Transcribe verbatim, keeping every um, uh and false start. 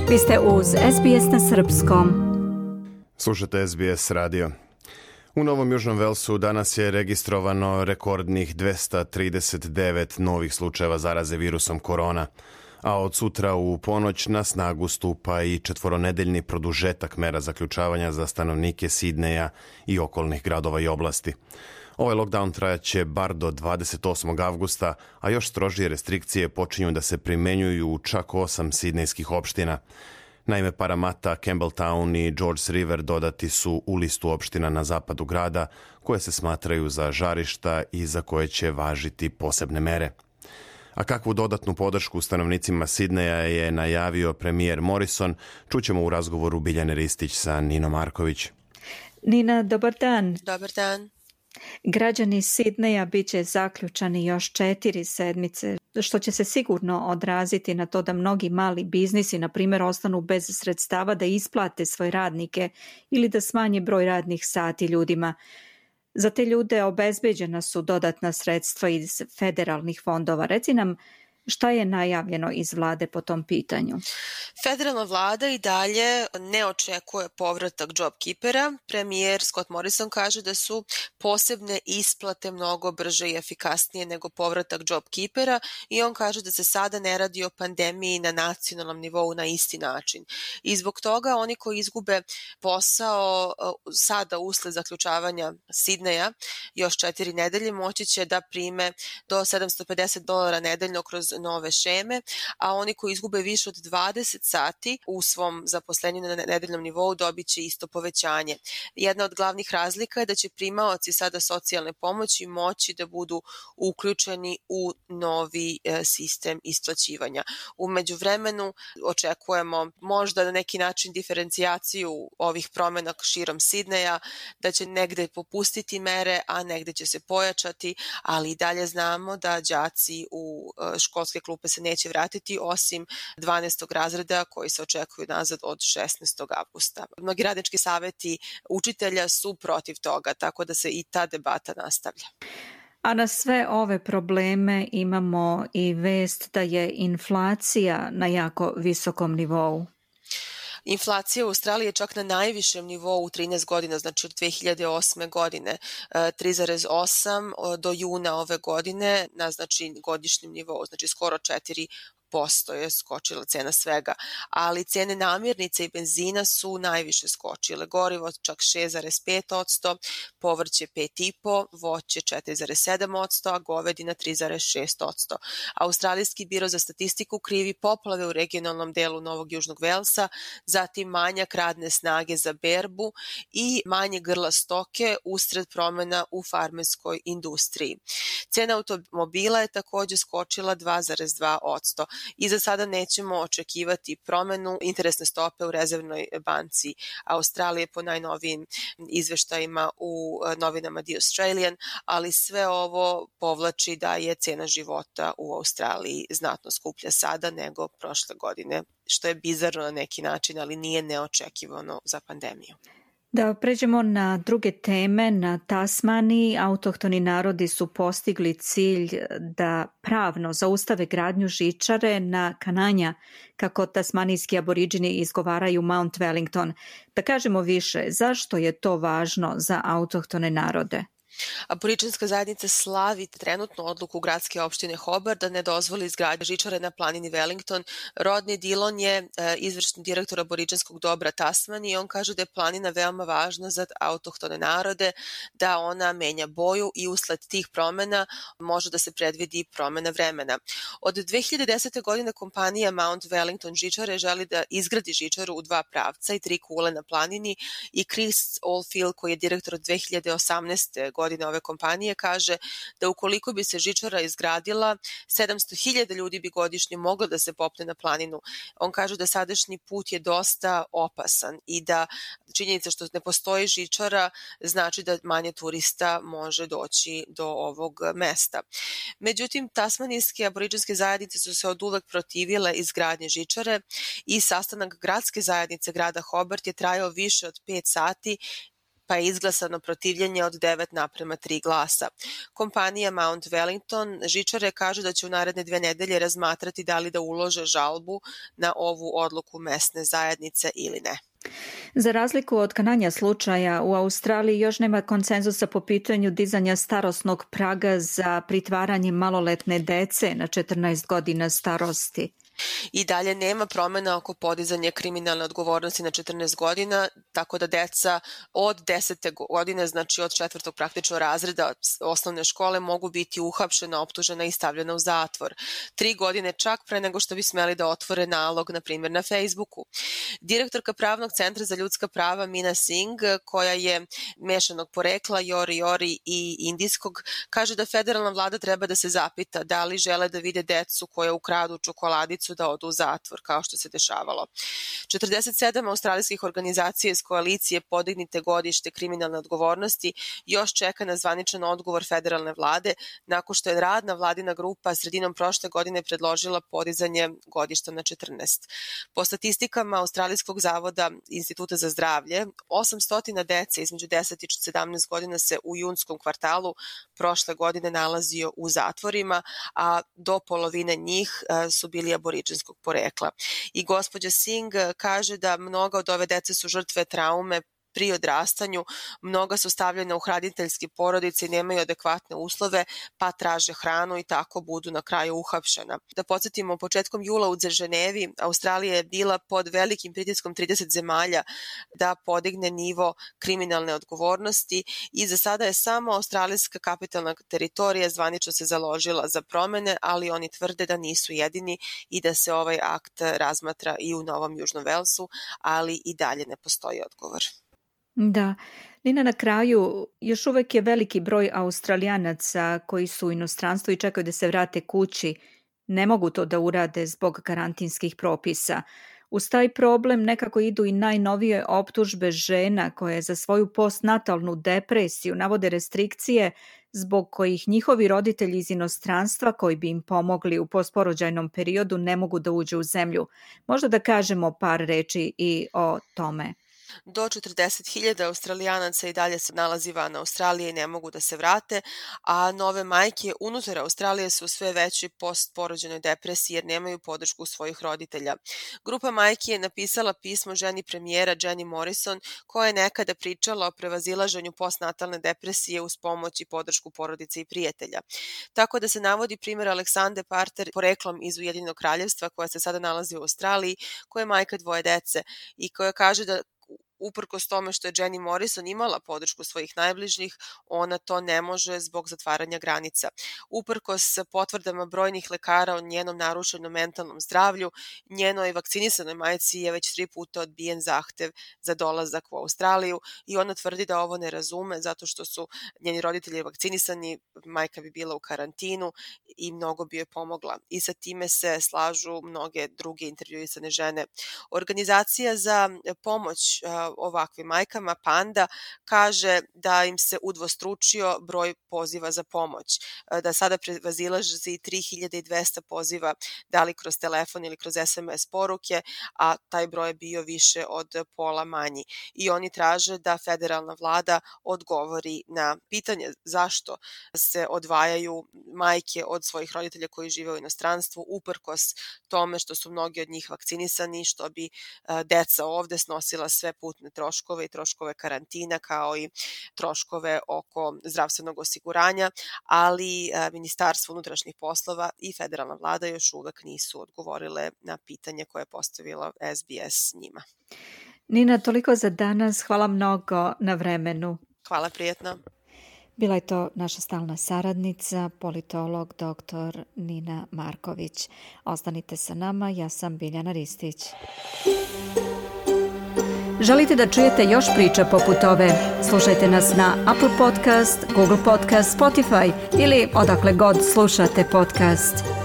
Vi ste uz S B S na srpskom. Slušate S B S radio. U Novom Južnom Velsu danas je registrovano rekordnih dvesta trideset devet novih slučajeva zaraze virusom korona, a od sutra u ponoć na snagu stupa i četvoronedeljni produžetak mera zaključavanja za stanovnike Sidneja i okolnih gradova i oblasti. Ovaj lockdown trajaće bar do dvadeset osmog avgusta, a još strožije restrikcije počinju da se primenjuju u čak osam sidnejskih opština. Naime, Parramatta, Campbelltown i Georges River dodati su u listu opština na zapadu grada koje se smatraju za žarišta i za koje će važiti posebne mere. A kakvu dodatnu podršku stanovnicima Sidneja je najavio premijer Morrison, čućemo u razgovoru Biljane Ristić sa Ninom Marković. Nina, dobar dan. Dobar dan. Građani Sidneja bit će zaključani još četiri sedmice, što će se sigurno odraziti na to da mnogi mali biznisi, na primjer, ostanu bez sredstava da isplate svoje radnike ili da smanje broj radnih sati ljudima. Za te ljude obezbeđena su dodatna sredstva iz federalnih fondova. Reci nam, šta je najavljeno iz vlade po tom pitanju? Federalna vlada i dalje ne očekuje povratak JobKeepera. Premijer Scott Morrison kaže da su posebne isplate mnogo brže i efikasnije nego povratak JobKeepera i on kaže da se sada ne radi o pandemiji na nacionalnom nivou na isti način. I zbog toga oni koji izgube posao sada usled zaključavanja Sidneja još četiri nedelje moći će da prime do sedamsto pedeset dolara nedeljno kroz nove šeme, a oni koji izgube više od dvadeset sati u svom zaposlenju na nedeljnom nivou dobit će isto povećanje. Jedna od glavnih razlika je da će primaoci sada socijalne pomoći moći da budu uključeni u novi e, sistem isplaćivanja. U međuvremenu očekujemo možda na neki način diferencijaciju ovih promjena širom Sidneja, da će negde popustiti mere, a negde će se pojačati, ali i dalje znamo da đaci u e, školske klupe se neće vratiti osim dvanaestog razreda koji se očekuju nazad od šesnaestog avgusta. Mnogi radnički saveti učitelja su protiv toga, tako da se i ta debata nastavlja. A na sve ove probleme imamo i vest da je inflacija na jako visokom nivou. Inflacija u Australiji je čak na najvišem nivou u trinaest godina, znači od dve hiljade osme godine, tri zarez osam do juna ove godine na znači godišnjem nivou, znači skoro četiri posto je skočila cena svega, ali cene namirnice i benzina su najviše skočile. Gorivo čak šest zarez pet posto, povrće pet zarez pet, voće četiri zarez sedam posto, a govedina tri zarez šest posto. Australijski biro za statistiku krivi poplave u regionalnom delu Novog Južnog Velsa, zatim manjak radne snage za berbu i manje grla stoke usred promjena u farmerskoj industriji. Cena automobila je također skočila dva zarez dva posto. I za sada nećemo očekivati promjenu interesne stope u rezervnoj banci Australije po najnovijim izveštajima u novinama The Australian, ali sve ovo povlači da je cena života u Australiji znatno skuplja sada nego prošle godine, što je bizarno na neki način, ali nije neočekivano za pandemiju. Da pređemo na druge teme, na Tasmaniji autohtoni narodi su postigli cilj da pravno zaustave gradnju žičare na Kananja, kako tasmanijski aboriđini izgovaraju Mount Wellington. Da kažemo više, zašto je to važno za autohtone narode? Aboriđinska zajednica slavi trenutnu odluku gradske opštine Hobart da ne dozvoli izgradnju žičare na planini Wellington. Rodney Dillon je e, izvršni direktor aboriđinskog dobra Tasmanije i on kaže da je planina veoma važna za autohtone narode, da ona menja boju i usled tih promjena može da se predvidi promjena vremena. Od dve hiljade desete. godine kompanija Mount Wellington žičare želi da izgradi žičaru u dva pravca i tri kule na planini i Chris Oldfield, koji je direktor od dve hiljade osamnaeste. godine ove kompanije, kaže da ukoliko bi se žičara izgradila, sedamsto hiljada ljudi bi godišnje moglo da se popne na planinu. On kaže da sadašnji put je dosta opasan i da činjenica što ne postoji žičara znači da manje turista može doći do ovog mesta. Međutim, tasmanijske aboriđinske zajednice su se oduvek protivile izgradnje žičare i sastanak gradske zajednice grada Hobart je trajao više od pet sati pa je izglasano protivljenje od devet naprema tri glasa. Kompanija Mount Wellington žičare kaže da će u naredne dve nedelje razmatrati da li da ulože žalbu na ovu odluku mesne zajednice ili ne. Za razliku od kananja slučaja, u Australiji još nema konsenzusa po pitanju dizanja starosnog praga za pritvaranje maloletne dece na četrnaest godina starosti. I dalje nema promjena oko podizanja kriminalne odgovornosti na četrnaest godina, tako da deca od desete godine, znači od četvrtog praktično razreda osnovne škole, mogu biti uhapšena, optužena i stavljena u zatvor. Tri godine čak pre nego što bi smeli da otvore nalog, na primjer na Facebooku. Direktorka Pravnog centra za ljudska prava Mina Singh, koja je mešanog porekla, Jori Jori i indijskog, kaže da federalna vlada treba da se zapita da li žele da vide decu koja ukradu čokoladicu da odu u zatvor, kao što se dešavalo. četrdeset sedam australijskih organizacija iz koalicije Podignite godište kriminalne odgovornosti još čeka na zvaničan odgovor federalne vlade, nakon što je radna vladina grupa sredinom prošle godine predložila podizanje godišta na četrnaest. Po statistikama Australijskog zavoda Instituta za zdravlje, osamsto dece između deset i sedamnaest godina se u junskom kvartalu prošle godine nalazio u zatvorima, a do polovine njih su bili aboriđinskog porekla. I gospođa Singh kaže da mnoga od ove dece su žrtve traume pri odrastanju, mnoga su stavljena u hraniteljske porodice i nemaju adekvatne uslove, pa traže hranu i tako budu na kraju uhapšena. Da podsjetimo, početkom jula u Ženevi Australija je bila pod velikim pritiskom trideset zemalja da podigne nivo kriminalne odgovornosti i za sada je samo australijska kapitalna teritorija zvanično se založila za promene, ali oni tvrde da nisu jedini i da se ovaj akt razmatra i u Novom Južnom Velsu, ali i dalje ne postoji odgovor. Da, Nina, na kraju još uvek je veliki broj Australijanaca koji su u inostranstvu i čekaju da se vrate kući. Ne mogu to da urade zbog karantinskih propisa. Uz taj problem nekako idu i najnovije optužbe žena koje za svoju postnatalnu depresiju navode restrikcije zbog kojih njihovi roditelji iz inostranstva koji bi im pomogli u postporođajnom periodu ne mogu da uđu u zemlju. Možda da kažemo par reči i o tome. Do četrdeset hiljada Australijanaca i dalje se nalazi van Australije i ne mogu da se vrate, a nove majke unutar Australije su sve veći postporođajnoj depresiji jer nemaju podršku svojih roditelja. Grupa majki je napisala pismo ženi premijera Jenny Morrison koja je nekada pričala o prevazilaženju postnatalne depresije uz pomoć i podršku porodice i prijatelja. Tako da se navodi primjer Aleksandre Parter poreklom iz Ujedinjenog kraljevstva koja se sada nalazi u Australiji, koja je majka dvoje dece i koja kaže da uprkos tome što je Jenny Morrison imala podršku svojih najbližnjih, ona to ne može zbog zatvaranja granica. Uprkos potvrdama brojnih lekara o njenom narušenom mentalnom zdravlju, njenoj vakcinisanoj majci je već tri puta odbijen zahtev za dolazak u Australiju i ona tvrdi da ovo ne razume zato što su njeni roditelji vakcinisani, majka bi bila u karantinu i mnogo bi joj pomogla. I sa time se slažu mnoge druge intervjuisane žene. Organizacija za pomoć ovakvim majkama, Panda, kaže da im se udvostručio broj poziva za pomoć, da sada prevazilazi tri hiljade dvesta poziva, da li kroz telefon ili kroz es em es poruke, a taj broj je bio više od pola manji. I oni traže da federalna vlada odgovori na pitanje zašto se odvajaju majke od svojih roditelja koji žive u inostranstvu, uprkos tome što su mnogi od njih vakcinisani, što bi deca ovde snosila sve putne troškove i troškove karantina kao i troškove oko zdravstvenog osiguranja, ali Ministarstvo unutrašnjih poslova i federalna vlada još uvek nisu odgovorile na pitanje koje je postavila es bi es njima. Nina, toliko za danas. Hvala mnogo na vremenu. Hvala, prijetno. Bila je to naša stalna saradnica, politolog doktor Nina Marković. Ostanite sa nama, ja sam Biljana Ristić. Želite da čujete još priča poput ove? Slušajte nas na Apple Podcast, Google Podcast, Spotify ili odakle god slušate podcast.